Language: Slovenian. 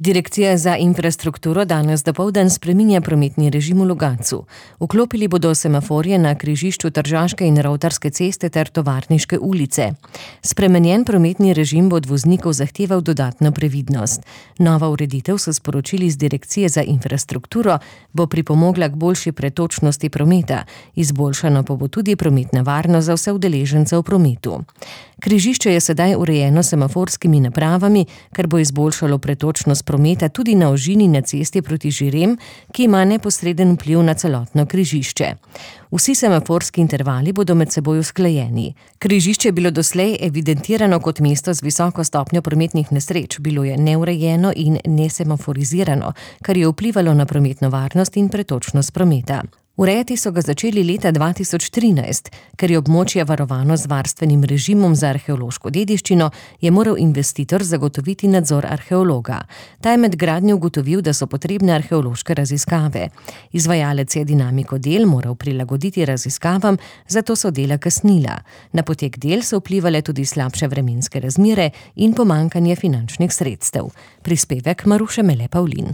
Direkcija za infrastrukturo danes dopoldan spreminja prometni režim v Logatcu. Vklopili bodo semaforje na križišču Tržaške in Rovtarske ceste ter Tovarniške ulice. Spremenjen prometni režim bo od voznikov zahteval dodatno previdnost. Nova ureditev, so sporočili z Direkcije za infrastrukturo, bo pripomogla k boljši pretočnosti prometa. Izboljšana pa bo tudi prometna varnost za vse udeležence v prometu. Križišče je sedaj urejeno s semaforskimi napravami, kar bo izboljšalo pretočnost prometa tudi na ožini na cesti proti Žirem, ki ima neposreden vpliv na celotno križišče. Vsi semaforski intervali bodo med seboj usklajeni. Križišče je bilo doslej evidentirano kot mesto z visoko stopnjo prometnih nesreč, bilo je neurejeno in nesemaforizirano, kar je vplivalo na prometno varnost in pretočnost prometa. Urejati so ga začeli leta 2013, ker je območje varovano z varstvenim režimom za arheološko dediščino, je moral investitor zagotoviti nadzor arheologa. Ta je med gradnjo ugotovil, da so potrebne arheološke raziskave. Izvajalec je dinamiko del moral prilagoditi raziskavam, zato so dela kasnila. Na potek del so vplivale tudi slabše vremenske razmere in pomanjkanje finančnih sredstev. Prispevek Maruše Mele Pavlin.